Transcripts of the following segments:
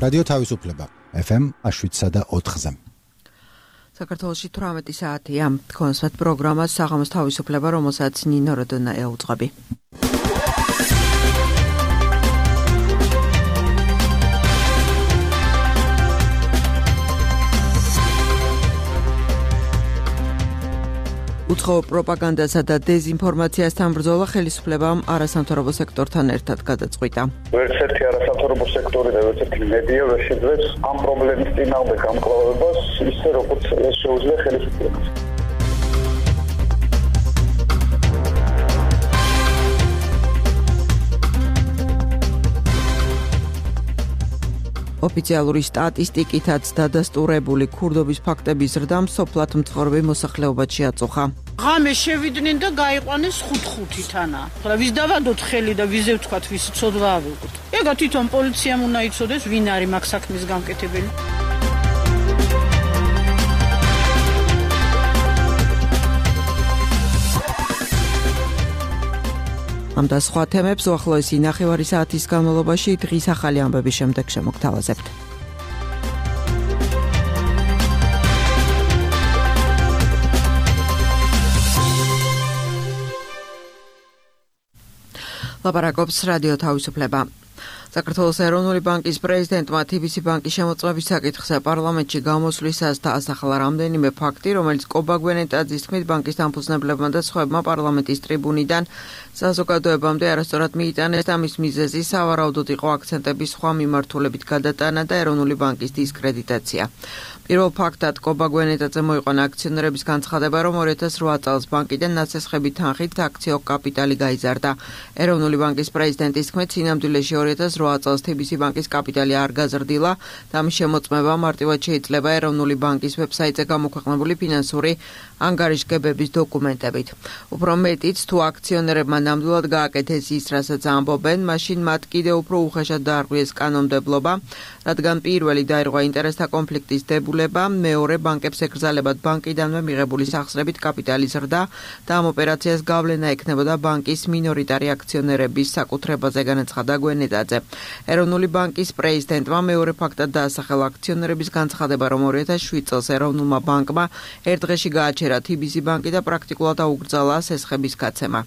რადიო თავისუფლება FM 107.4-ზე. საქართველოში 18 საათია. კონსერტ პროგრამა საღამოს თავისუფლება, რომელსაც ნინო როდონა ეუძღვები. უცხო პროპაგანდასა და დეზინფორმაციასთან ბრძოლა ხელისუფლებამ არასამთავრობო სექტორთან ერთად გადაწყვიტა. ვერცერთი არასამთავრობო სექტორი და ვერცერთი მედია ვერ შეძლებს ამ პრობლემის წინააღმდეგ გამკლავებას ისე როგორც შეუძლია ხელისუფლებას. ოფიციალური სტატისტიკითაც დადასტურებული ქურდობის ფაქტების ზრდამ სოფლად მცხოვრები მოსახლეობად შეაწუხა. ღამე შევიდნენ და გაიყვანეს 5-5-თანა. ახლა ვის დავადოთ ხელი და ვიზე ვთქვათ, ვის ცოდვა ავიღოთ. ეგა თვითონ პოლიციამ უნდა იცოდეს, ვინ არის მაგ საქმის გამკეთებელი. ამ და სხვა თემებს უახლოესი ნახევარი საათის განმავლობაში დღის ახალი ამბების შემდეგ შემოგთავაზებთ. ლაპარაკობს რადიო თავისუფლება. საქართველოს ეროვნული ბანკის პრეზიდენტმა TBC ბანკის შემოწმების საკითხზე პარლამენტში გამოსვლისას დაასახელა რამდენიმე ფაქტი, რომელიც კობა გვენეტაძის თქმით ბანკის დამფუძნებლებმა და სხვებმა პარლამენტის ტრიბუნიდან საზოგადოებამდე არასწორად მიიტანეს და მის მიზეზი სავარაუდოდ იყო აქცენტების სხვა მიმართულებით გადატანა და ეროვნული ბანკის დისკრედიტაცია. პირველ ფაქტად კობა გვენეტაძე მოიყვანა აქციონერების განცხადება, რომ 2008 წელს ბანკიდან ნაცესხები თანხით აქციო კაპიტალი გაიზარდა. ეროვნული ბანკის პრეზიდენტის თქმით, სინამდვილეში 2008 წელს TBC ბანკის კაპიტალი არ გაზრდილა და ამის შემოწმება მარტივად შეიძლება ეროვნული ბანკის ვებსაიტზე გამოქვეყნებული ფინანსური ანგარიშგებების დოკუმენტებით. უფრო მეტიც, თუ აქციონერებმა ნამდვილად გააკეთეს ის, რასაც ამბობენ, მაშინ მათ კიდევ უფრო უხეშად დაარღვიეს კანონმდებლობა, რადგან პირველი დაირღვა ინტერესთა კონფლიქტის დებულება, მეორე ბანკებს ეკრძალებათ ბანკიდანვე მიღებული სახსრებით კაპიტალის ზრდა და ამ ოპერაციას გავლენა ექნებოდა ბანკის მინორიტარი აქციონერების საკუთრებაზე, განაცხადა გვენეტაძე. ეროვნული ბანკის პრეზიდენტმა მეორე ფაქტად დაასახელა აქციონერების განცხადება, რომ 2007 წელს ეროვნულმა ბანკმა ერთ დღეში გააჩერა TBC ბანკი და პრაქტიკულად აუკრძალა სესხების გაცემა.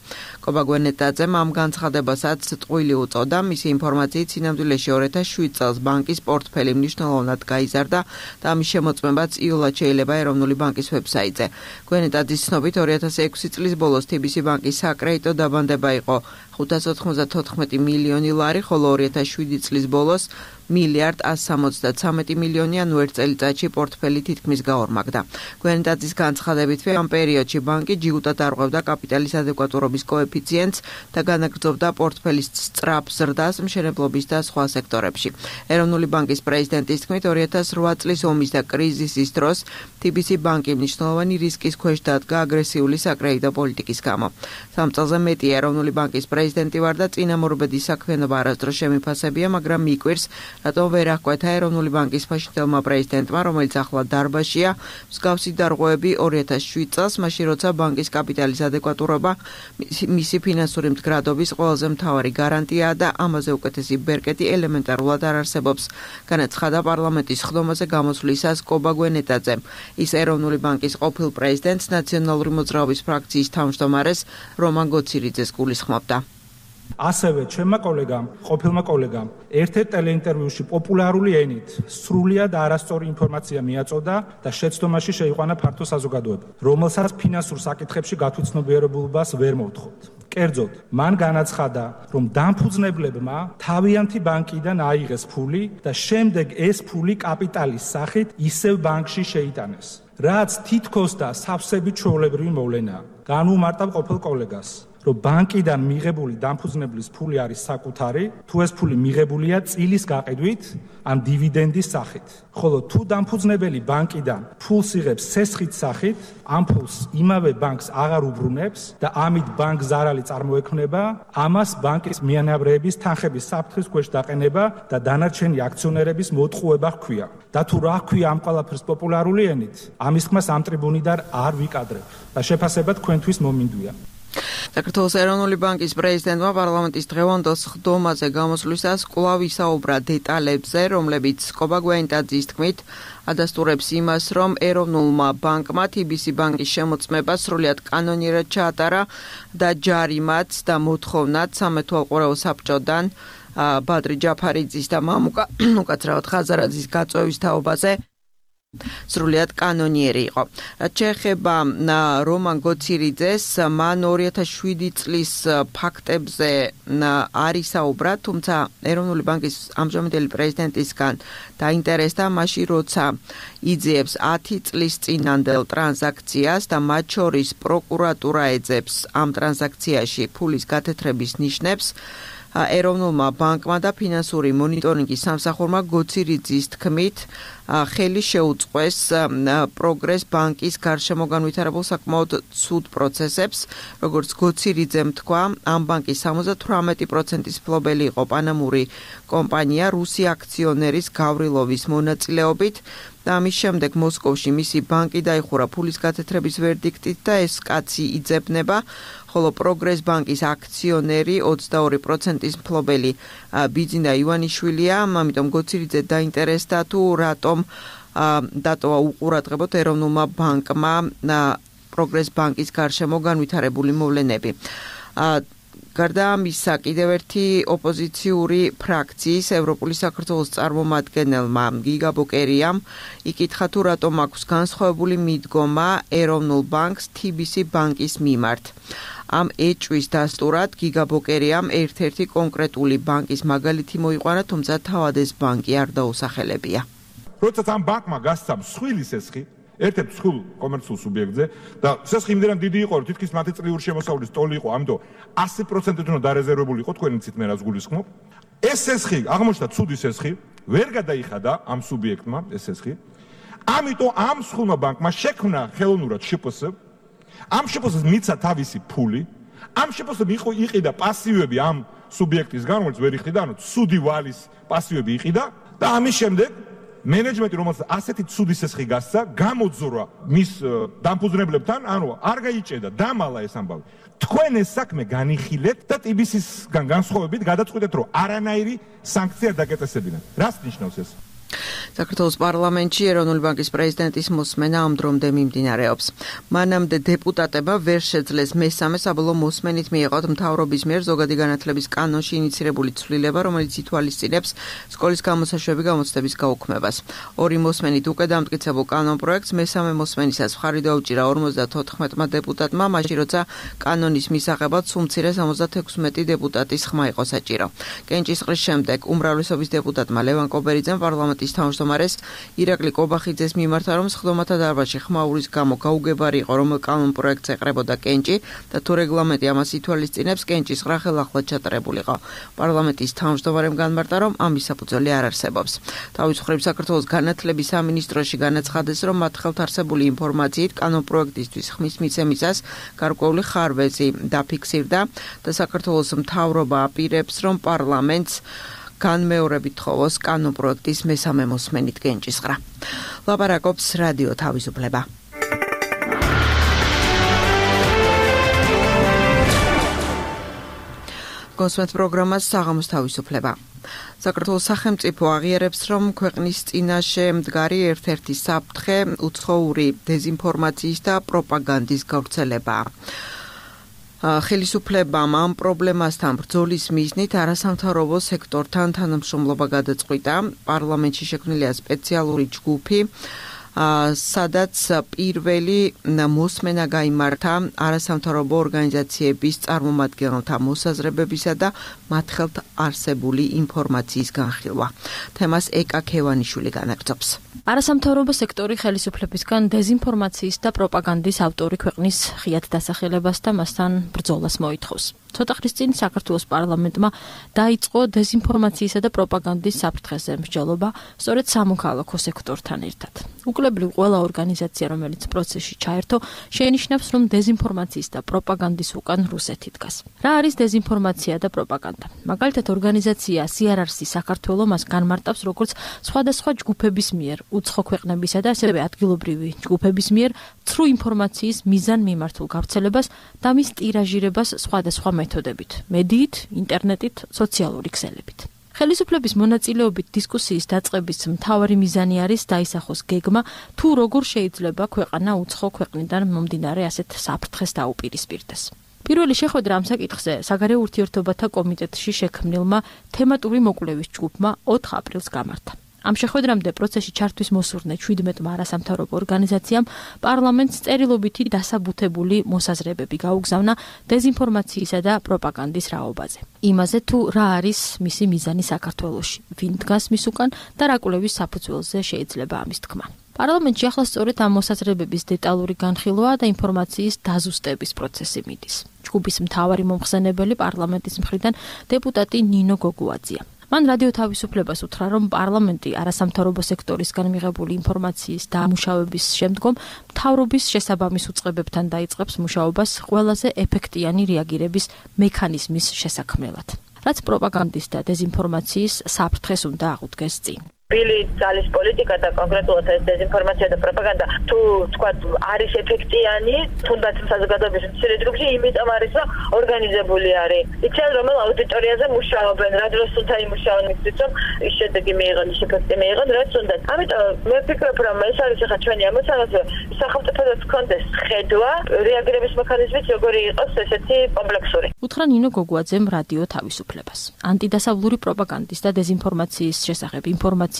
კობა გვენეტაძემ ამ განცხადებასაც წყვილი უწოდა, მისი ინფორმაციით სინამდვილეში 2007 წელს ბანკის პორტფელი მნიშვნელოვნად გაიზარდა და ამის შემოწმებაც იოლად შეიძლება ეროვნული ბანკის ვებსაიტზე. გვენეტაძის ცნობით 2006 წლის ბოლოს TBC ბანკის საკრედიტო დაბანდება იყო 594 მილიონი ლარი, ხოლო 2007 წლის ბოლოს 1,173 მილიონი, ანუ ერთ წელიწადში პორტფელი თითქმის გაორმაგდა. გვენეტაძის განცხადებით, ამ პერიოდში ბანკი ჯიუტად არღვევდა კაპიტალის ადეკვატურობის კოეფიციენტს და განაგრძობდა პორტფელის სწრაფ ზრდას მშენებლობის და სხვა სექტორებში. ეროვნული ბანკის პრეზიდენტის თქმით, 2008 წლის ომის და კრიზისის დროს TBC ბანკი მნიშვნელოვანი რისკის ქვეშ დადგა აგრესიული საკრედიტო პოლიტიკის გამო. 3 წელზე მეტი ეროვნული ბანკის პრეზიდენტი ვარ და წინამორბედი საქმიანობა არასდროს შემიფასებია, მაგრამ მიკვირს, რატომ ვერ აღკვეთა ეროვნული ბანკის ფაშინდელმა პრეზიდენტმა, რომელიც ახლა დარბაზშია, მსგავსი დარღვევები 2007 წელს, მაშინ როცა ბანკის კაპიტალის ადეკვატურობა მისი ფინანსური მდგრადობის ყველაზე მთავარი გარანტიაა და ამაზე უკეთესი ბერკეტი ელემენტარულად არ არსებობს, განაცხადა პარლამენტის ხდომაზე გამოსვლისას კობა გვენეტაძემ. ის ეროვნული ბანკის ყოფილ პრეზიდენტს, ნაციონალური მოძრაობის ფრაქციის თავმჯდომარეს რომან გოცირიძეს გულისხმობდა. ასევე ჩემმა კოლეგამ, ყოფილმა კოლეგამ, ერთ-ერთ ტელეინტერვიუში პოპულარული ენით სრულიად არასწორი ინფორმაცია მიაწოდა და შეცდომაში შეიყვანა ფართო საზოგადოება, რომელსაც ფინანსურ საკითხებში გათვითცნობიერებულობას ვერ მოვთხოვთ. კერძოდ, მან განაცხადა, რომ დამფუძნებლებმა თავიანთი ბანკიდან აიღეს ფული და შემდეგ ეს ფული კაპიტალის სახით ისევ ბანკში შეიტანეს, რაც თითქოს და სავსებით ჩვეულებრივი მოვლენაა. განვუმარტავ ყოფილ კოლეგას, რომ ბანკიდან მიღებული დამფუძნებლის ფული არის საკუთარი, თუ ეს ფული მიღებულია წილის გაყიდვით ან დივიდენდის სახით. ხოლო თუ დამფუძნებელი ბანკიდან ფულს იღებს სესხით სახით, ამ ფულს იმავე ბანკს აღარ უბრუნებს და ამით ბანკ ზარალი წარმოექმნება, ამას ბანკის მიანავრების თანხების საფრთხის ქვეშ დაყენება და დანარჩენი აქციონერების მოტყუება ჰქვია. და თუ რა ჰქვია ამ ყველაფერს პოპულარული ენით, ამის ხმას ამ ტრიბუნიდან არ ვიკადრებ და შეფასება თქვენთვის მომინდვია. საქართველოს ეროვნული ბანკის პრეზიდენტმა პარლამენტის დღევანდელ სხდომაზე გამოსვლისას კვლავ ისაუბრა დეტალებზე, რომლებიც კობა გვენიტაძის თქმით ადასტურებს იმას, რომ ეროვნულმა ბანკმა TBC ბანკის შემოწმება სრულიად კანონიერად ჩაატარა და ჯარიმაც და მოთხოვნაც სამეთვალყურეო საბჭოდან ბადრი ჯაფარიძის და მამუკა უკაცრავად ხაზარაძის გაწვევის თაობაზე სრულიად კანონიერი იყო. რაც შეეხება რომან გოცირიძეს, მან 2007 წლის ფაქტებზე არ ისაუბრა, თუმცა ეროვნული ბანკის ამჟამინდელი პრეზიდენტისგან დაინტერესდა მაშინ, როცა იძიებს 10 წლის წინანდელ ტრანზაქციას და მათ შორის პროკურატურა ეძებს ამ ტრანზაქციაში ფულის გათეთრების ნიშნებს. ეროვნულმა ბანკმა და ფინანსური მონიტორინგის სამსახურმა გოცირიძის თქმით ხელი შეუწყეს პროგრეს ბანკის გარშემო განვითარებულ საკმაოდ ცუდ პროცესებს, როგორც გოცირიძემ თქვა, ამ ბანკის 78%-ის მფლობელი იყო პანამური კომპანია რუსი აქციონერის გავრილოვის მონაწილეობით და ამის შემდეგ მოსკოვში მისი ბანკი დაიხურა ფულის გათეთრების ვერდიქტით და ეს კაცი იძებნება, ხოლო პროგრეს ბანკის აქციონერი 22%-ის მფლობელი ბიძინა ივანიშვილია, ამიტომ გოცირიძე დაინტერესდა თუ რატომ დატოვა უყურადღებოდ ეროვნულმა ბანკმა პროგრეს ბანკის გარშემო განვითარებული მოვლენები. გარდა ამისა, კიდევ ერთი ოპოზიციური ფრაქციის ევროპული საქართველოს წარმომადგენელმა გიგა ბოკერიამ იკითხა თუ რატომ აქვს განსხვავებული მიდგომა ეროვნულ ბანკს TBC ბანკის მიმართ. ამ ეჭვის დასტურად გიგა ბოკერიამ ერთ-ერთი კონკრეტული ბანკის მაგალითი მოიყვანა, თუმცა თავად ეს ბანკი არ დაუსახელებია. როცა ამ ბანკმა გასცა მსხვილი სესხი ერთ-ერთ მსხვილ კომერციულ სუბიექტზე და სესხი იმდენად დიდი იყო, რომ თითქმის მათი წლიური შემოსავლის ტოლი იყო, ამიტომ 100%-ით უნდა დარეზერვებული იყო, თქვენ იცით მე რაც გულისხმობ. ეს სესხი აღმოჩნდა ცუდი სესხი, ვერ გადაიხადა ამ სუბიექტმა ეს სესხი. ამიტომ ამ მსხვილმა ბანკმა შექმნა ხელოვნურად შპს, ამ შპს-ს მიცა თავისი ფული, ამ შპს-ს იყიდა პასივები ამ სუბიექტისგან, რომელიც ვერ იყიდა, ანუ ცუდი ვალის პასივები იყიდა და ამის შემდეგ მენეჯმენტი, რომელსაც ასეთი ცუდი სესხი გასცა, გამოძრა მის დამფუძნებლებთან, ანუ არ გაიჭედა, დამალა ეს ამბავი. თქვენ ეს საქმე განიხილეთ და TBC-სგან განსხვავებით გადაწყვეტეთ, რომ არანაირი სანქცია დაგეწესებინათ. რას ნიშნავს ეს? საქართველოს პარლამენტში ეროვნული ბანკის პრეზიდენტის მოსმენა ამ დრომდე მიმდინარეობს. მანამდე დეპუტატებმა ვერ შეძლეს მესამე საბოლოო მოსმენით მიეღოთ მთავრობის მიერ ზოგადი განათლების კანონში ინიცირებული ცვლილება, რომელიც ითვალისწინებს სკოლის გამოსაშვები გამოცდების გაუქმებას. ორი მოსმენით უკვე დამტკიცებულ კანონპროექტს მესამე მოსმენისას მხარი დაუჭირა 54-მა დეპუტატმა, მაშინ როცა კანონის მისაღებად სულ მცირე 76 დეპუტატის ხმა იყო საჭირო. კენჭისყრის შემდეგ უმრავლესობის დეპუტატმა ლევან კობერიძემ პარლამენტის თავმჯდომარეს ირაკლი კობახიძეს მიმართა, რომ სხდომათა დარბაზში ხმაურის გამო გაუგებარი იყო, რომ კანონპროექტს ეყრებოდა კენჭი და თუ რეგლამენტი ამას ითვალისწინებს, კენჭისყრა ხელახლა ჩატარებულიყო. პარლამენტის თავმჯდომარემ განმარტა, რომ ამის საფუძველი არ არსებობს. თავის მხრივ საქართველოს განათლების სამინისტროში განაცხადეს, რომ მათ ხელთ არსებული ინფორმაციით კანონპროექტისთვის ხმის მიცემისას გარკვეული ხარვეზი დაფიქსირდა და საქართველოს მთავრობა აპირებს, რომ პარლამენტს განმეორებით თხოვოს კანონპროექტის მესამე მოსმენით კენჭისყრა. ლაპარაკობს რადიო თავისუფლება. კონსვენთ პროგრამას საღამოს თავისუფლება. საქართველოს სახელმწიფო აღიარებს, რომ ქვეყნის წინაშე მდგარი ერთ-ერთი საფრთხე უცხოური დეზინფორმაციის და პროპაგანდის გავრცელებაა. ხელისუფლებამ ამ პრობლემასთან ბრძოლის მიზნით არასამთავრობო სექტორთან თანამშრომლობა გადაწყვიტა. პარლამენტში შექმნილია სპეციალური ჯგუფი, სადაც პირველი მოსმენა გაიმართა არასამთავრობო ორგანიზაციების წარმომადგენელთა მოსაზრებებისა და მათ ხელთ არსებული ინფორმაციის განხილვა. თემას ეკა ქევანიშვილი განაგრძობს. არასამთავრობო სექტორი ხელისუფლებისგან დეზინფორმაციის და პროპაგანდის ავტორი ქვეყნის ღიად დასახელებას და მასთან ბრძოლას მოითხოვს. ცოტა ხნის წინ საქართველოს პარლამენტმა დაიწყო დეზინფორმაციისა და პროპაგანდის საფრთხეზე მსჯელობა, სწორედ სამოქალაქო სექტორთან ერთად. უკლებრივ ყველა ორგანიზაცია, რომელიც პროცესში ჩაერთო, შეინიშნავს, რომ დეზინფორმაციის და პროპაგანდის უკან რუსეთი დგას. რა არის დეზინფორმაცია და პროპაგანდა? მაგალითად, ორგანიზაცია CRRC საქართველო მას განმარტავს როგორც სხვადასხვა ჯგუფების მიერ უცხო ქვეყნებისა და ასევე ადგილობრივი ჯგუფების მიერ ცრუ ინფორმაციის მიზანმიმართულ გავრცელებას და მის ტირაჟირებას სხვადასხვა მეთოდებით, მედიით, ინტერნეტით, სოციალური ქსელებით. ხელისუფლების მონაწილეობით დისკუსიის დაწყების მთავარი მიზანი არის დაისახოს გეგმა, თუ როგორ შეიძლება ქვეყანა უცხო ქვეყნიდან მომდინარე ასეთ საფრთხეს დაუპირისპირდეს. პირველი შეხვედრა ამ საკითხზე საგარეო ურთიერთობათა კომიტეტში შექმნილმა თემატური მოკვლევის ჯგუფმა 4 აპრილს გამართა. ამ შეხვედრამდე პროცესში ჩართვის მოსურნე 17 არასამთავრობო ორგანიზაციამ პარლამენტს წერილობითი დასაბუთებული მოსაზრებები გაუგზავნა დეზინფორმაციისა და პროპაგანდის რაობაზე. იმაზე თუ რა არის მისი მიზანი საქართველოში, ვინ დგას მის უკან და რა კვლევის საფუძველზე შეიძლება ამის თქმა. პარლამენტში ახლა სწორედ ამ მოსაზრებების დეტალური განხილვა და ინფორმაციის დაზუსტების პროცესი მიდის. ჯგუფის მთავარი მომხსენებელი პარლამენტის მხრიდან დეპუტატი ნინო გოგუაძეა. მან რადიო თავისუფლებას უთხრა, რომ პარლამენტი არასამთავრობო სექტორისგან მიღებული ინფორმაციის დამუშავების შემდგომ მთავრობის შესაბამის უწყებებთან დაიწყებს მუშაობას ყველაზე ეფექტიანი რეაგირების მექანიზმის შესაქმნელად, რაც პროპაგანდის და დეზინფორმაციის საფრთხეს უნდა აღუდგეს წინ. ბილი ძალის პოლიტიკა და კონკრეტულად ეს დეზინფორმაცია და პროპაგანდა თუ თქვა არის ეფექტიანი, თუნდაც საზოგადოების მცირე ჯგუფში, იმიტომ არის, რომ ორგანიზებული არის. იციან, რომელ აუდიტორიაზე მუშაობენ, რა დროს უნდა იმუშაონ მისთვის, რომ ის შედეგი მიიღონ, ის ეფექტი მიიღონ, რაც უნდა. ამიტომ მე ვფიქრობ, რომ ეს არის ახლა ჩვენი ამოცანა, სახელმწიფოსაც ჰქონდეს ხედვა, რეაგირების მექანიზმით, როგორი იყოს ესეთი კომპლექსური. უთხრა ნინო გოგუაძემ რადიო თავისუფლებას. ანტიდასავლური პროპაგანდის და დეზინფორმაციის შესახებ ინფორმაცია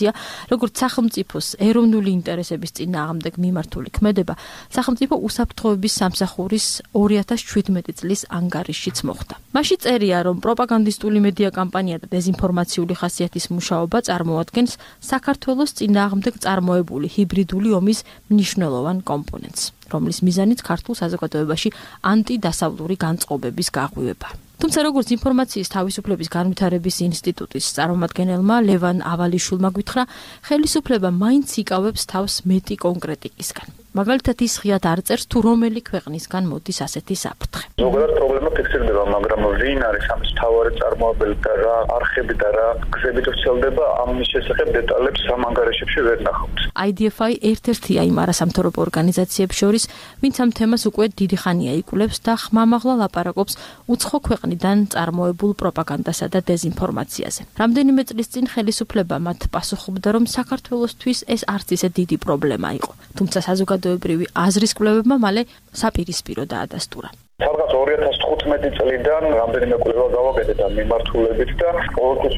როგორც სახელმწიფოს ეროვნული ინტერესების წინააღმდეგ მიმართული ქმედება, სახელმწიფო უსაფრთხოების სამსახურის 2017 წლის ანგარიშშიც მოხდა. მასში წერია, რომ პროპაგანდისტული მედია კამპანია და დეზინფორმაციული ხასიათის მუშაობა წარმოადგენს საქართველოს წინააღმდეგ წარმოებული ჰიბრიდული ომის მნიშვნელოვან კომპონენტს, რომლის მიზანიც ქართულ საზოგადოებაში ანტიდასავლური განწყობების გაღვივება. თუმცა როგორც ინფორმაციის თავისუფლების განვითარების ინსტიტუტის წარმომადგენელმა ლევან ავალიშვილმა გითხრა, ხელისუფლება მაინც იკავებს თავს მეტი კონკრეტიკისგან. მაგალითად ის ღიად არ წერს, თუ რომელი ქვეყნისგან მოდის ასეთი საფრთხე. ზოგადად პრობლემა ფიქსირდება, მაგრამ ვინ არის ამის მთავარი წარმოებელი და რა არხები და რა გზებით ვრცელდება, ამის შესახებ დეტალებს ამ ანგარიშებში ვერ ნახავთ. IDFI ერთ-ერთია იმ არასამთავრობო ორგანიზაციებს შორის, ვინც ამ თემას უკვე დიდი ხანია იკვლევს და ხმამაღლა ლაპარაკობს უცხო ქვეყნიდან წარმოებულ პროპაგანდასა და დეზინფორმაციაზე. რამდენიმე წლის წინ ხელისუფლება მათ პასუხობდა, რომ საქართველოსთვის ეს არც ისე დიდი პრობლემა იყო, თუმცა საზოგადოებრივი აზრის კვლევებმა მალე საპირისპირო დაადასტურა. სადღაც 2015 წლიდან რამდენიმე კვლევა გავაკეთეთ ამ მიმართულებით და ყოველთვის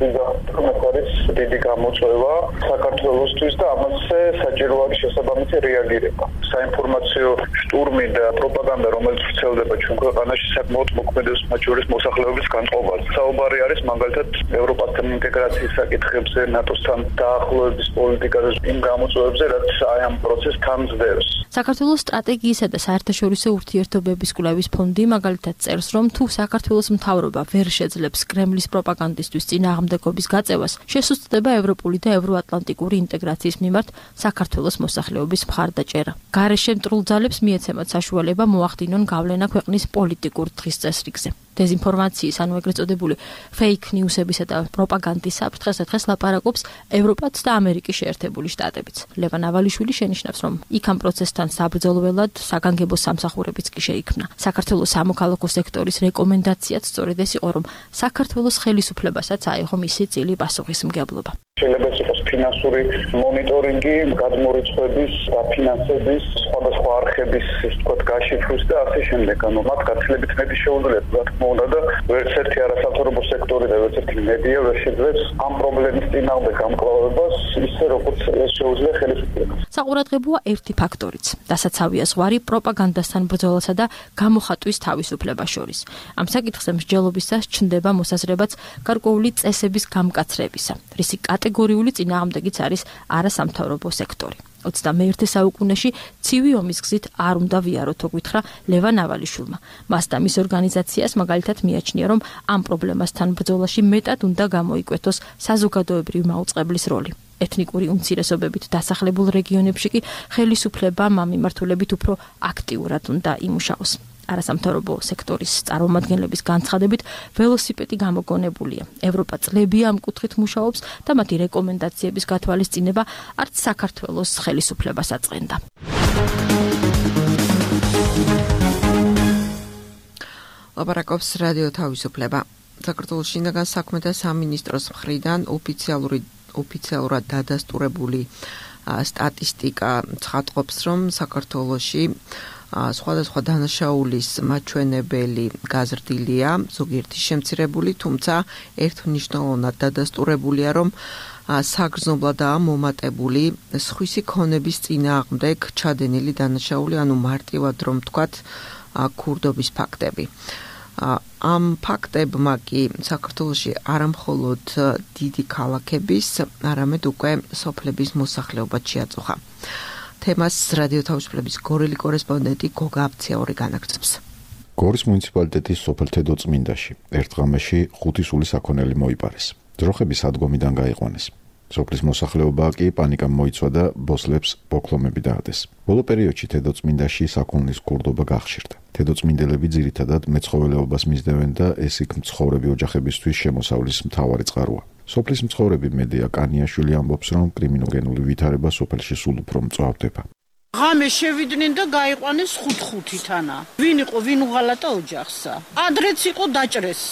არის დიდი გამოწვევა საქართველოსთვის და ამაზე საჭირო არის შესაბამისი რეაგირება. საინფორმაციო შტურმი და პროპაგანდა, რომელიც ვრცელდება ჩვენ ქვეყანაში, საკმაოდ მოქმედებს მათ შორის მოსახლეობის განწყობაზე. საუბარი არის მაგალითად ევროპასთან ინტეგრაციის საკითხებზე, ნატოსთან დაახლოების პოლიტიკაზე, იმ გამოწვევებზე, რაც აი ამ პროცესს თანძდევს. საქართველოს სტრატეგიისა და საერთაშორისო ურთიერთობების კვლევის ფონდი მაგალითად წერს, რომ თუ საქართველოს მთავრობა ვერ შეძლებს კრემლის პროპაგანდისტვის წინააღმდეგობის გაწევას, შესუსტდება ევროპული და ევროატლანტიკური ინტეგრაციის მიმართ საქართველოს მოსახლეობის მხარდაჭერა. გარეშე მტრულ ძალებს მიეცემათ საშუალება მოახდინონ გავლენა ქვეყნის პოლიტიკურ დღის წესრიგზე. დეზინფორმაციის, ანუ ეგრეთ წოდებული fake news-ებისა და პროპაგანდის საფრთხეს დღეს ლაპარაკობს ევროპაც და ამერიკის შეერთებული შტატებიც. ლევან ავალიშვილი შენიშნავს, რომ იქ ამ პროცესთან საბრძოლველად საგანგებო სამსახურებიც კი შეიქმნა. საქართველოს სამოქალაქო სექტორის რეკომენდაციაც სწორედ ეს იყო, რომ საქართველოს ხელისუფლებასაც აიღო მისი წილი პასუხისმგებლობა. შეიძლება იყოს ფინანსური მონიტორინგი, გადმორიცხვების, დაფინანსების, სხვადასხვა არხების, ვთქვათ, გაშიფვრის და ასე შემდეგ. ანუ მათ გაცილებით მეტი შეუძლია, რა თქმა უნდა, და ვერც ერთი არასამთავრობო სექტორი და ვერც ერთი მედია ვერ შეძლებს ამ პრობლემის წინააღმდეგ გამკლავებას ისე, როგორც ეს შეუძლია ხელისუფლებას. საყურადღებოა ერთი ფაქტორიც, დასაცავია ზღვარი პროპაგანდასთან ბრძოლასა და გამოხატვის თავისუფლებას შორის. ამ საკითხზე მსჯელობისას ჩნდება მოსაზრებაც გარკვეული წესების გამკაცრებისა, რისი კატეგორიული წინააღმდეგიც არის არასამთავრობო სექტორი. 21 საუკუნეში ცივი ომის გზით არ უნდა ვიაროთ, გითხრა ლევან ავალიშვილმა. მას და მის ორგანიზაციას მაგალითად მიაჩნია, რომ ამ პრობლემასთან ბრძოლაში მეტად უნდა გამოიკვეთოს საზოგადოებრივი მაუწყებლის როლი. ეთნიკური უმცირესობებით დასახლებულ რეგიონებში კი ხელისუფლებამ ამ მიმართულებით უფრო აქტიურად უნდა იმუშაოს. არასამთავრობო სექტორის წარმომადგენლების განცხადებით, ველოსიპედი გამოგონებულია. ევროპა წლებია ამ კუთხით მუშაობს და მათი რეკომენდაციების გათვალისწინება არც საქართველოს ხელისუფლებას აწყენდა. ლაპარაკობს რადიო თავისუფლება. საქართველოს შინაგან საქმეთა სამინისტროს მხრიდან ოფიციალურად დადასტურებული სტატისტიკა ცხადყოფს, რომ საქართველოში სხვადასხვა დანაშაულის მაჩვენებელი გაზრდილია, ზოგიერთი შემცირებული, თუმცა ერთმნიშვნელოვნად დადასტურებულია, რომ საგრძნობლადაა მომატებული სხვისი ქონების წინააღმდეგ ჩადენილი დანაშაული, ანუ მარტივად რომ ვთქვათ, ქურდობის ფაქტები. ამ ფაქტებმა კი საქართველოში არამხოლოდ დიდი ქალაქების, არამედ უკვე სოფლების მოსახლეობაც შეაწუხა. თემას რადიო თავისუფლების გორელი კორესპონდენტი გოგა აბციაური განაგრძობს. გორის მუნიციპალიტეტის სოფელ თედოწმინდაში ერთ ღამეში 5 სული საქონელი მოიპარეს. ძროხები სადგომიდან გაიყვანეს. სოფლის მოსახლეობა კი პანიკამ მოიცვა და ბოსლებს ბოქლომები დაადეს. ბოლო პერიოდში თედოწმინდაში საქონლის ქურდობა გახშირდა. თედოწმინდელები ძირითადად მეცხოველეობას მისდევენ და ეს იქ მცხოვრები ოჯახებისთვის შემოსავლის მთავარი წყაროა. სოფლის მცხოვრები მედია კანიაშვილი ამბობს, რომ კრიმინოგენული ვითარება სოფელში სულ უფრო მწვავდება. ღამე შევიდნენ და გაიყვანეს 5-5-თანა. ვინ იყო, ვინ უღალატა ოჯახსა. ადრეც იყო დაჭრეს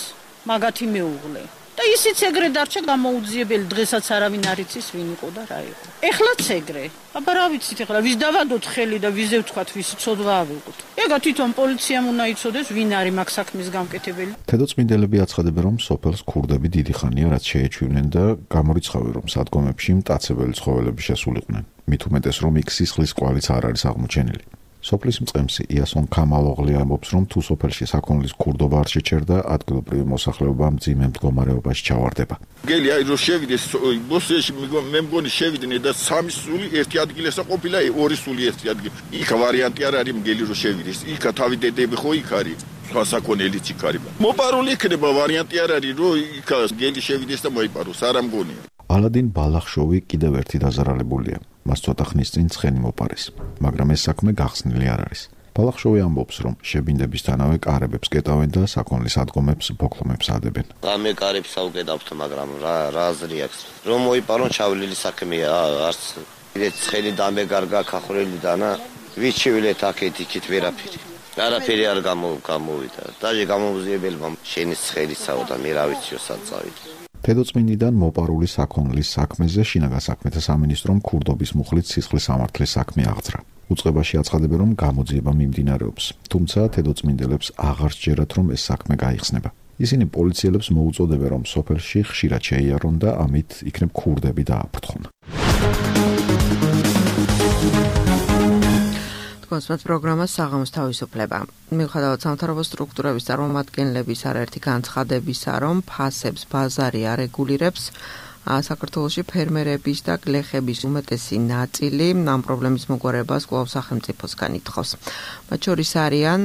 მაგათი მეუღლე. და ისიც ეგრე დარჩა გამოუძიებელი, დღესაც არავინ არ იცის ვინ იყო და რა იყო. ეხლაც ეგრე. აბა რა ვიცით ეხლა, ვის დავადოთ ხელი და ვიზე ვთქვათ, ვის ცოდვა ავიღოთ. ეგა თვითონ პოლიციამ უნდა იცოდეს, ვინ არის მაგ საქმის გამკეთებელი. თედოწმინდელები აცხადებენ, რომ სოფელს ქურდები დიდი ხანია რაც შეეჩვივნენ და გამორიცხავენ, რომ სადგომებში მტაცებელი ცხოველები შესულიყვნენ. მით უმეტეს, რომ იქ სისხლის კვალიც არ არის აღმოჩენილი. სოფლის მწყემსი იასონ ქამალოღლი ამბობს, რომ თუ სოფელში საქონლის ქურდობა არ შეჩერდა, ადგილობრივი მოსახლეობა მძიმე მდგომარეობაში ჩავარდება. გელი აი რომ შევიდეს ბოსეში მე მგონი შევიდნენ და 3 სული ერთი ადგილასა ყოფილა 2 სული ერთი ადგილი. იქ ვარიანტი არ არის მგელი რომ შევიდეს. იქა თავი დედები ხო იქ არის. სხვა საქონელიც იქ არის. მოპარული იქნება ვარიანტი არ არის რომ იქ გელი შევიდეს და მოიპაროს. არა მგონია. ალა딘 ბალახშოვი კიდევ ერთი დაზარალებულია. მას ცოტა ხნის წინ ცხენი მოპარეს, მაგრამ ეს საქმე გახსნილი არ არის. ბალახშოვი ამბობს, რომ შებინდებისთანავე კარებებს კეტავენ და საქონლის ადგომებს ბოქლომებს ადებენ. ამე კარებს აუკეტავთ, მაგრამ რა აზრი აქვს? რომ მოიპარონ ჩავლილი საქმეა, არც ცხენი დამეგარგა ქახრელი დანა, ვიჩივლეთ აქეთ იქით ვერაფერი. არაფერი არ გამოვიდა. დაჟე გამოუძიებელმა შენის ცხელისაო და მე რა ვიციო საწავით. თედოწმინდიდან მოპარული საქონლის საქმეზე შინაგან საქმეთა სამინისტრომ ქურდობის მუხლით სისხლის სამართლის საქმე აღძრა. უწყებაში აცხადებენ, რომ გამოძიება მიმდინარეობს, თუმცა თედოწმინდელებს აღარ სჯერათ, რომ ეს საქმე გაიხსნება. ისინი პოლიციელებს მოუწოდებენ, რომ სოფელში ხშირად შეიარონ და ამით იქნებ ქურდები დააფრთხონ. კონსპект პროგრამას საღამოს თავისუფლება. მიუხედავად სამთავრობო სტრუქტურების წარმომადგენლების არაერთი განცხადებისა, რომ ფასებს ბაზარი არეგულირებს, საქართველოში ფერმერების და გლეხების უმეტესი ნაწილი ამ პრობლემის მოგვარებას კვლავ სახელმწიფოსგან ითხოვს. მათ შორის არიან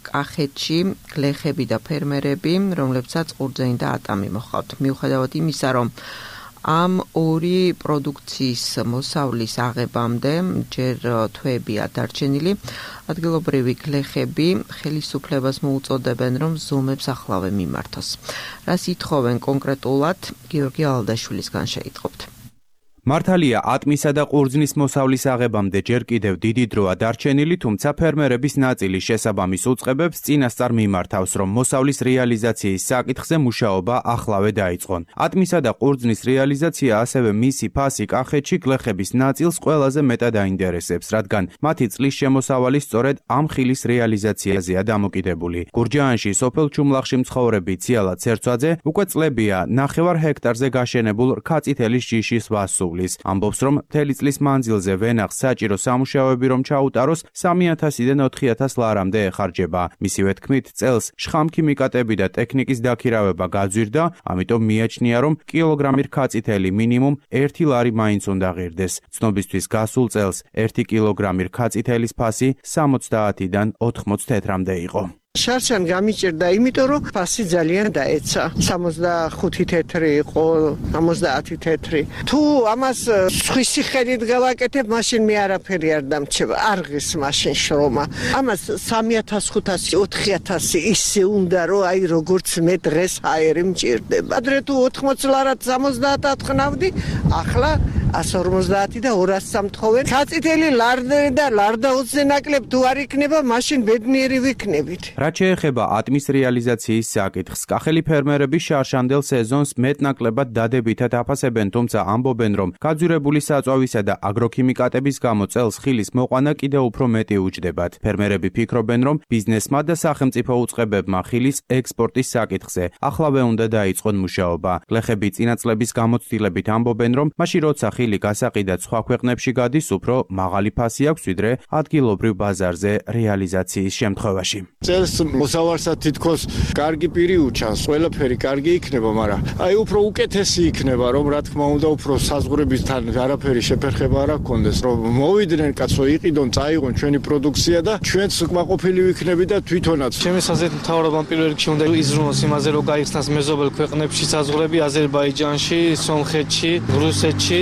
კახეთში გლეხები და ფერმერები, რომლებსაც ყურძენი და ატამი მოჰყავთ. მიუხედავად იმისა, რომ ამ ორი პროდუქციის მოსავლის აღებამდე ჯერ თვეებია დარჩენილი, ადგილობრივი გლეხები ხელისუფლებას მოუწოდებენ, რომ ზომებს ახლავე მიმართოს. რას ითხოვენ კონკრეტულად, გიორგი ალდაშვილისგან შეიტყობთ. მართალია ატმისა და ყურძნის მოსავლის აღებამდე ჯერ კიდევ დიდი დროა დარჩენილი, თუმცა ფერმერების ნაწილი შესაბამის უწყებებს წინასწარ მიმართავს, რომ მოსავლის რეალიზაციის საკითხზე მუშაობა ახლავე დაიწყონ. ატმისა და ყურძნის რეალიზაცია, ასევე მისი ფასი კახეთში გლეხების ნაწილს ყველაზე მეტად აინტერესებს, რადგან მათი წლის შემოსავალი სწორედ ამ ხილის რეალიზაციაზეა დამოკიდებული. გურჯაანში სოფელ ჩუმლახში მცხოვრები ციალა ცერცვაძე უკვე წლებია 9 ჰექტარზე გაშენებულ რქაწითელის ჯიშის ვასულის. ამბობს, რომ მთელი წლის მანძილზე ვენახს საჭირო სამუშაოები რომ ჩაუტაროს 3000-დან 4000 ლარამდე ეხარჯება. მისივე თქმით, წელს შხამქიმიკატები და ტექნიკის დაქირავება გაძვირდა, ამიტომ მიაჩნია, რომ კილოგრამი რქაწითელი მინიმუმ 1 ლარი მაინც უნდა ღირდეს. ცნობისთვის გასულ წელს 1 კილოგრამი რქაწითელის ფასი 70-დან 80 თეთრამდე იყო. შარშან გამიჭირდა, იმიტომ რომ ფასი ძალიან დაეცა. 65 თეთრი იყო, 70 თეთრი. თუ ამას სხვისი ხედით გავაკეთებ, მაშინ მე არაფერი არ დამრჩება. არ ღირს მაშინ შრომა. ამას 3500, 4000 ისე უნდა რომ აი როგორც მე დღეს აერი მჭირდება. ადრე თუ 80 ლარად 70 ატყნავდი, ახლა 150 და 200 სამთხოვენ. გაწითელი ლარდე და ლარდაუზე ნაკლებ თუ არ იქნება, მაშინ ბედნიერი ვიქნებით. რაც შეეხება ატმის რეალიზაციის საკითხს, კახელი ფერმერები შარშანდელ სეზონს მეტნაკლებად დადებითად აფასებენ, თუმცა ამბობენ, რომ გაძვირებული საწვავისა და აგროქიმიკატების გამო წელს ხილის მოყვანა კიდევ უფრო მეტი უჯდებათ. ფერმერები ფიქრობენ, რომ ბიზნესმა და სახელმწიფო უწყებებმა ხილის ექსპორტის საკითხზე ახლავე უნდა დაიწყონ მუშაობა. გლეხები წინა წლების გამოცდილებით ამბობენ, რომ მაშინ როცა ხილი გასაყიდად სხვა ქვეყნებში გადის, უფრო მაღალი ფასი აქვს ვიდრე ადგილობრივ ბაზარზე რეალიზაციის შემთხვევაში. წელს მოსავარსად თითქოს კარგი პირი უჩანს, ყველაფერი კარგი იქნება, მაგრამ აი უფრო უკეთესი იქნება, რომ რა თქმა უნდა უფრო საზღვრებისთან არაფერი შეფერხება არ აქონდეს, რომ მოვიდნენ კაცო იყიდონ, წაიღონ ჩვენი პროდუქცია და ჩვენც კმაყოფილი ვიქნები და თვითონაც. ჩემი აზრით მთავრობამ პირველ რიგში უნდა იზრუნოს იმაზე, რომ გაიხსნას მეზობელ ქვეყნებში საზღვრები, აზერბაიჯანში, სომხეთში, რუსეთში,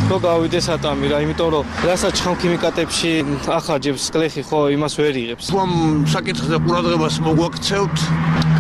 რომ გავიდეს ატამი რა, იმიტომ რომ რასაც ჩხამქიმიკატებში ახარჯებს კლეხი ხო იმას ვერ იღებს. თუ ამ საკითხზე ყურადღებას მოგვაქცევთ,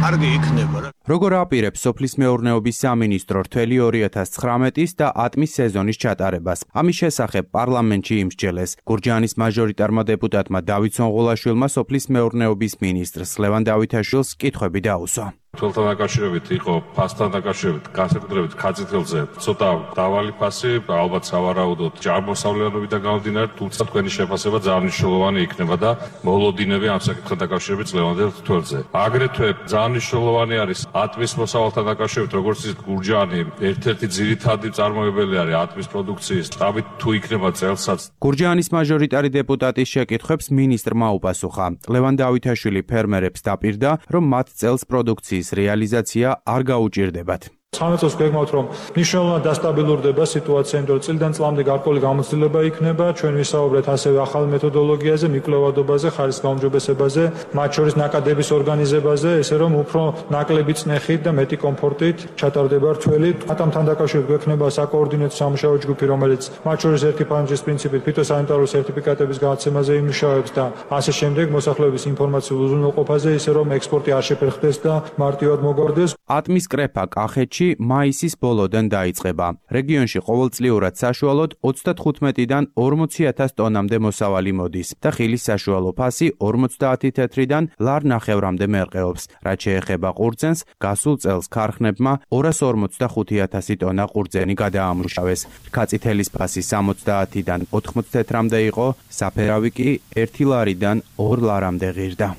კარგი იქნება რა. როგორ აპირებს სოფლის მეურნეობის სამინისტრო რთველი 2019 და ატმის სეზონის ჩატარებას? ამის შესახებ პარლამენტში იმსჯელეს. გურჯაანის მაჟორიტარმა დეპუტატმა დავით სონღოლაშვილმა სოფლის მეურნეობის მინისტრს ლევან დავითაშვილს კითხვები დაუსვა. თვალთან დაკავშირებით იყო ფასთან დაკავშირებით განსაკუთრებით ქაცითელზე ცოტა დავალი ფასი, ალბათ სავარაუდოდ ჯარმოსავლიანობიდან გამომდინარე, თუმცა თქვენი შეფასება ძალიან მნიშვნელოვანი იქნება და მოლოდინები ამ საკითხთან დაკავშირებით ლევანდელ თვალზე. აგრეთვე ძალიან მნიშვნელოვანი არის ატმის მოსავალთან დაკავშირებით, როგორც ის გურჯაანი ერთ-ერთი ძირითადი წარმოებელი არის ატმის პროდუქციის შტაბით, თუ იქნება წელსაც. გურჯაანის მაჟორიტარი დეპუტატის შეკითხვებს მინისტრმა უპასუხა. ლევან დავითაშვილი ფერმერებს დაპირდა, რომ მათ წელს პროდუქციის რეალიზაცია არ გაუჭირდებათ. სამეცოს გეგმავთ, რომ მნიშვნელოვნად დასტაბილურდება სიტუაცია, იმიტომ რომ წლიდან წლამდე გარკვეული გამოცდილება იქნება. ჩვენ ვისაუბრეთ ასევე ახალ მეთოდოლოგიაზე, მიკვლევადობაზე, ხარისხის გაუმჯობესებაზე, მათ შორის ნაკადების ორგანიზებაზე, ესე რომ უფრო ნაკლები წნეხით და მეტი კომფორტით ჩატარდება რთველი. ატამთან დაკავშირებით გვექნება საკოორდინატო სამუშაო ჯგუფი, რომელიც მათ შორის ერთი ფანჯრის პრინციპით ფიტოსანიტარული სერტიფიკატების გადაცემაზე იმუშავებს და ასე შემდეგ მოსახლეობის ინფორმაციულ უზრუნველყოფაზე, ისე რომ ექსპორტი არ შეფერხდეს და მარტივად მოგვარდეს. ატმის კრეფა კახეთში მაისის ბოლოდან დაიწყება. რეგიონში ყოველწლიურად საშუალოდ 35-დან 40,000 ტონამდე მოსავალი მოდის და ხილის საშუალო ფასი 50 თეთრიდან ლარ ნახევრამდე მერყეობს. რაც შეეხება ყურძენს, გასულ წელს ქარხნებმა 245,000 ტონა ყურძენი გადაამუშავეს. ქაწითელის ფასი 70-დან 80 თეთრამდე იყო, საფერავი კი 1 ლარიდან 2 ლარამდე ღირდა.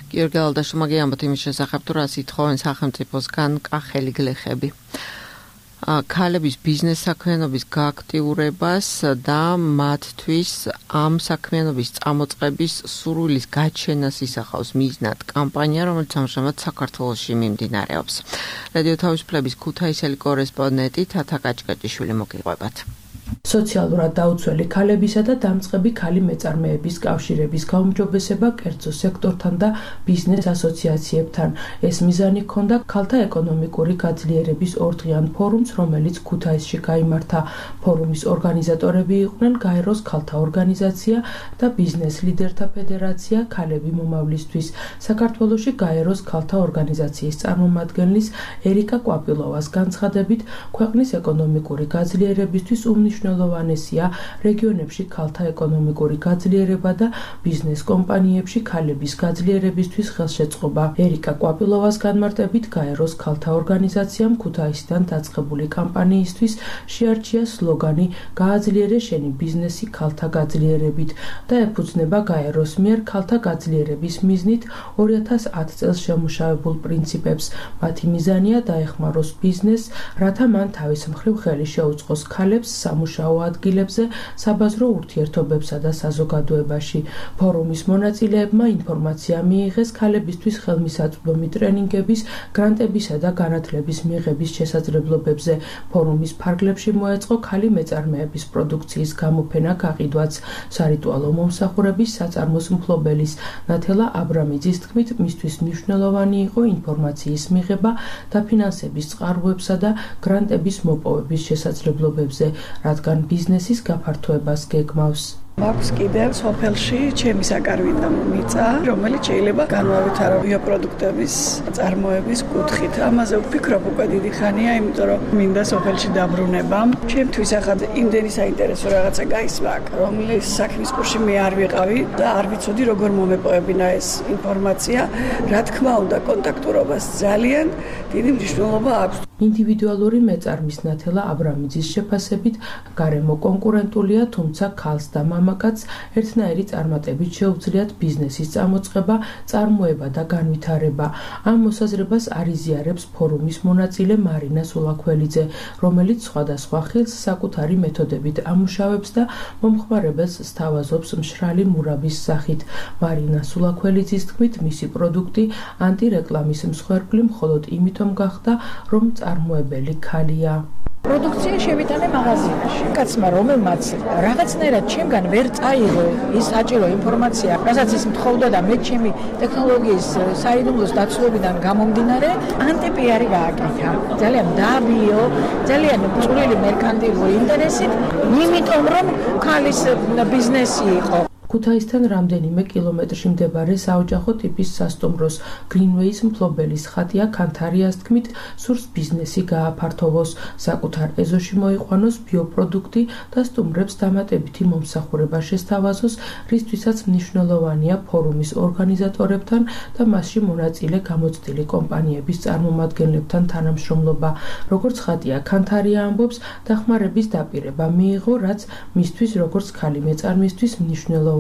გიორგი ალდაშუმაგი ამბობთ იმის შესახებ, თუ რას ითხოვენ სახელმწიფოსგან კახელი გლეხები. ქალების ბიზნეს საქმიანობის გააქტიურებას და მათთვის ამ საქმიანობის წამოწყების სურვილის გაჩენას ისახავს მიზნად კამპანია, რომელიც ამჟამად საქართველოში მიმდინარეობს. რადიო თავისუფლების ქუთაისელი კორესპონდენტი თათა კაჭკაჭიშვილი მოგიყვებათ. სოციალურად დაუცველი ქალებისა და დამწყები ქალი მეწარმეების კავშირების გაუმჯობესება კერძო სექტორთან და ბიზნეს ასოციაციებთან. ეს მიზანი ჰქონდა ქალთა ეკონომიკური გაძლიერების ორდღიან ფორუმს, რომელიც ქუთაისში გაიმართა. ფორუმის ორგანიზატორები იყვნენ გაეროს ქალთა ორგანიზაცია და ბიზნეს ლიდერთა ფედერაცია ქალები მომავლისთვის. საქართველოში გაეროს ქალთა ორგანიზაციის წარმომადგენლის ერიკა კვაპილოვას განცხადებით, ქვეყნის ეკონომიკური გაძლიერებისთვის უმნიშვნელოვანესია რეგიონებში ქალთა ეკონომიკური გაძლიერება და ბიზნეს კომპანიებში ქალების გაძლიერებისთვის ხელშეწყობა. ერიკა კვაპილოვას განმარტებით, გაეროს ქალთა ორგანიზაციამ ქუთაისიდან დაწყებული კამპანიისთვის შეარჩია სლოგანი „გააძლიერე შენი ბიზნესი ქალთა გაძლიერებით“ და ეფუძნება გაეროს მიერ ქალთა გაძლიერების მიზნით 2010 წელს შემუშავებულ პრინციპებს. მათი მიზანია დაეხმაროს ბიზნესს, რათა მან თავის მხრივ ხელი შეუწყოს ქალებს სამუშაო აუადგილებზე, საბაზრო ურთიერთობებსა და საზოგადოებაში. ფორუმის მონაწილეებმა ინფორმაცია მიიღეს ქალებისთვის ხელმისაწვდომი ტრენინგების, გრანტებისა და განათლების მიღების შესაძლებლობებზე. ფორუმის ფარგლებში მოეწყო ქალი მეწარმეების პროდუქციის გამოფენა გაყიდვაც. სარიტუალო მომსახურების საწარმოს მფლობელის ნათელა აბრამიძის თქმით, მისთვის მნიშვნელოვანი იყო ინფორმაციის მიღება დაფინანსების წყაროებსა და გრანტების მოპოვების შესაძლებლობებზე, რადგან ბიზნესის გაფართოებას გეგმავს. მაქვს კიდევ სოფელში ჩემი საკარვიდან მიწა, რომელიც შეიძლება განვავითარო ბიოპროდუქტების წარმოების კუთხით. ამაზე ვფიქრობ უკვე დიდი ხანია, იმიტომ რომ მინდა სოფელში დაბრუნება. ჩემთვის ახლა იმდენი საინტერესო რაღაცა გაისმა, რომლის საქმის კურსში მე არ ვიყავი და არ ვიცოდი როგორ მომეპოვებინა ეს ინფორმაცია. რა თქმა უნდა, კონტაქტურობას ძალიან დიდი მნიშვნელობა აქვს. ინდივიდუალური მეწარმის ნათელა აბრამიძის შეფასებით, გარემო კონკურენტულია, თუმცა ქალს და მამაკაცს ერთნაირი წარმატებით შეუძლიათ ბიზნესის წამოწყება, წარმოება და განვითარება. ამ მოსაზრებას არიზიარებს ფორუმის მონაწილე მარინა სულაქველიძე, რომელიც სხვადასხვა ხილს საკუთარი მეთოდებით ამუშავებს და მომხმარებელს სთავაზობს მშრალი მურაბის სახით. მარინა სულაქველიძის თქმით, მისი პროდუქტი ანტირეკლამის მსხვერპლი მხოლოდ იმიტომ გახდა, რომ წარმოებელი ქალია. პროდუქცია შევიტანე მაღაზიაში. კაცმა რომელმაც რაღაცნაირად ჩემგან ვერ წაიღო ის საჭირო ინფორმაცია, რასაც ის მთხოვდა და მე ჩემი ტექნოლოგიის საიდუმლოს დაცვებიდან გამომდინარე, ანტიპიარი გააკეთა. ძალიან დაბიო, ძალიან წვრილი მერკანტილური ინტერესით, იმიტომ რომ ქალის ბიზნესი იყო. ქუთაისთან რამდენიმე კილომეტრში მდებარე საოჯახო ტიპის სასტუმროს გრინვეის მფლობელის ხატია ქანთარიას თქმით, სურს ბიზნესი გააფართოვოს, საკუთარ ეზოში მოიყვანოს ბიოპროდუქტი და სტუმრებს დამატებითი მომსახურება შესთავაზოს, რისთვისაც მნიშვნელოვანია ფორუმის ორგანიზატორებთან და მასში მონაწილე გამოცდილი კომპანიების წარმომადგენლებთან თანამშრომლობა. როგორც ხატია ქანთარია ამბობს, დახმარების დაპირება მიიღო, რაც მისთვის როგორც ქალი მეწარმისთვის მნიშვნელოვანია.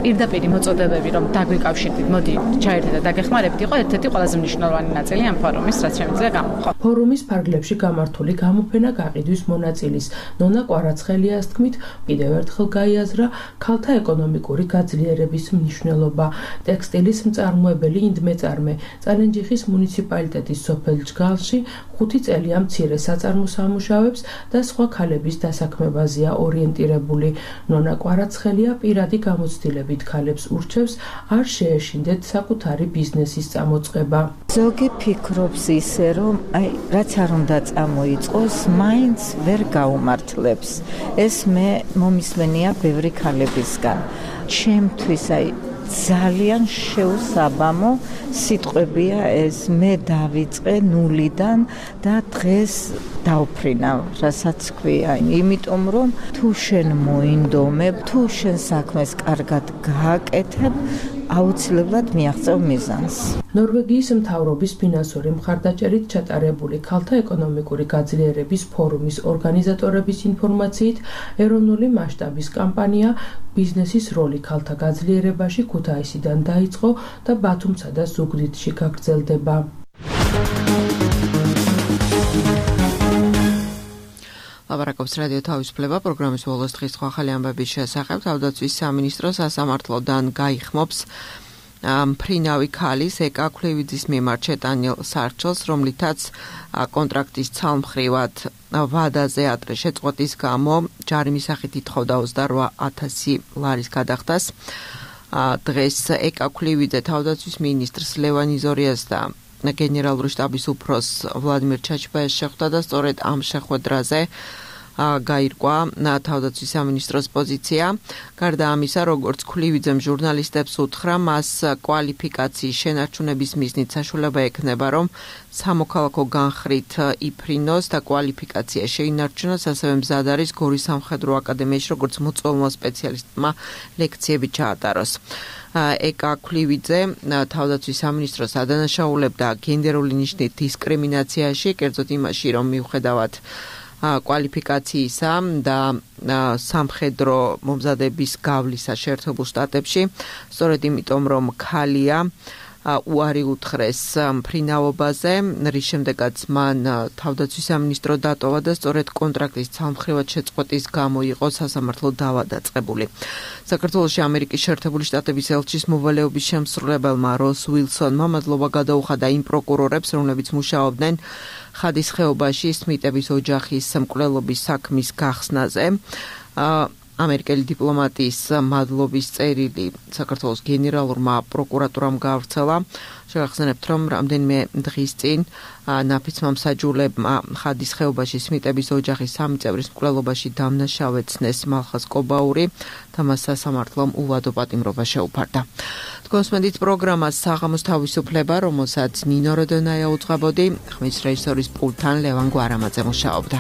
პირდაპირ მოწოდებები, რომ დაგვიკავშირდით, მოდი ჩაერთეთ და დაგეხმარებით, იყო ერთ-ერთი ყველაზე მნიშვნელოვანი ნაწილი ამ ფორუმის, რაც შემიძლია გამოვხო. ფორუმის ფარგლებში გამართული გამოფენა გაყიდვის მონაწილის ნონა კვარაცხელიას თქმით, კიდევ ერთხელ გაიაზრა ქალთა ეკონომიკური გაძლიერების მნიშვნელობა. ტექსტილის მწარმოებელი ინდმეწარმე წალენჯიხის მუნიციპალიტეტის სოფელ ჯგალში 5 წელია მცირე საწარმოს ამუშავებს და სხვა ქალების დასაქმებაზეა ორიენტირებული. ნონა კვარაცხელია პირადი გამოცდილებით ქალებს ურჩევს არ შეეშინდეთ საკუთარი ბიზნესის წამოწყება. ზოგი ფიქრობს ისე, რომ რაც არ უნდა წამოიწყოს, მაინც ვერ გაუმართლებს. ეს მე მომისმენია ბევრი ქალებისგან. ჩემთვის ძალიან შეუსაბამო სიტყვებია ეს, მე დავიწყე ნულიდან და დღეს დავფრინავ, რასაც ქვია, იმიტომ რომ თუ შენ მოინდომებ, თუ შენ საქმეს კარგად გააკეთებ, აუცილებლად მიაღწევ მიზანს. ნორვეგიის მთავრობის ფინანსური მხარდაჭერით ჩატარებული ქალთა ეკონომიკური გაძლიერების ფორუმის ორგანიზატორების ინფორმაციით, ეროვნული მასშტაბის კამპანია ბიზნესის როლი ქალთა გაძლიერებაში ქუთაისიდან დაიწყო და ბათუმსა და ზუგდიდში გაგრძელდება. ლაპარაკობს რადიო თავისუფლება პროგრამის ბოლოს დღის ახალი ამბების შესახებ. თავდაცვის სამინისტრო სასამართლოდან გაიხმობს მფრინავი ქალის ეკა ქლევიძის მიმართ შეტანილ სარჩელს, რომლითაც კონტრაქტის ცალმხრივად ვადაზე ადრე შეწყვეტის გამო ჯარიმის სახით ითხოვდა 28,000 ლარის გადახდას. დღეს ეკა ქლევიძე თავდაცვის მინისტრს ლევან იზორიას და გენერალური შტაბის უფროს ვლადიმერ ჩაჩბაიას შეხვდა და სწორედ ამ შეხვედრაზე გაირკვა თავდაცვის სამინისტროს პოზიცია. გარდა ამისა, როგორც ქლივიძემ ჟურნალისტებს უთხრა, მას კვალიფიკაციის შენარჩუნების მიზნით საშუალება ექნება, რომ სამოქალაქო განხრით იფრინოს და კვალიფიკაცია შეინარჩუნოს, ასევე მზად არის გორის სამხედრო აკადემიაში, როგორც მოწვეულმა სპეციალისტმა ლექციები ჩაატაროს. ეკა ქლივიძე თავდაცვის სამინისტროს ადანაშაულებდა გენდერული ნიშნით დისკრიმინაციაში, კერძოდ იმაში, რომ მიუხედავად კვალიფიკაციისა და სამხედრო მომზადების გავლისა შეერთებულ შტატებში, სწორედ იმიტომ, რომ ქალია, უარი უთხრეს მფრინავობაზე, რის შემდეგაც მან თავდაცვის სამინისტრო დატოვა და სწორედ კონტრაქტის ცალმხრივად შეწყვეტის გამო იყო სასამართლო დავა დაწყებული. საქართველოში ამერიკის შეერთებული შტატების ელჩის მოვალეობის შემსრულებელმა როს უილსონმა მადლობა გადაუხადა იმ პროკურორებს, რომლებიც მუშაობდნენ ხადის ხეობაში სმიტების ოჯახის მკვლელობის საქმის გახსნაზე. ამერიკელი დიპლომატის მადლობის წერილი საქართველოს გენერალურმა პროკურატურამ გაავრცელა. შევახსენებთ, რომ რამდენიმე დღის წინ ნაფიცმა მსაჯულებმა ხადის ხეობაში სმიტების ოჯახის 3 წევრის მკვლელობაში დამნაშავეცნეს მალხაზ კობაური და მას სასამართლომ უვადო პატიმრობა შეუფარდა. თქვენს მედით პროგრამას საღამოს თავისუფლება, რომელსაც ნინო როდონაია უძღვებოდი, ხმის რეჟისორის პულტთან ლევან გვარამაძე მუშაობდა.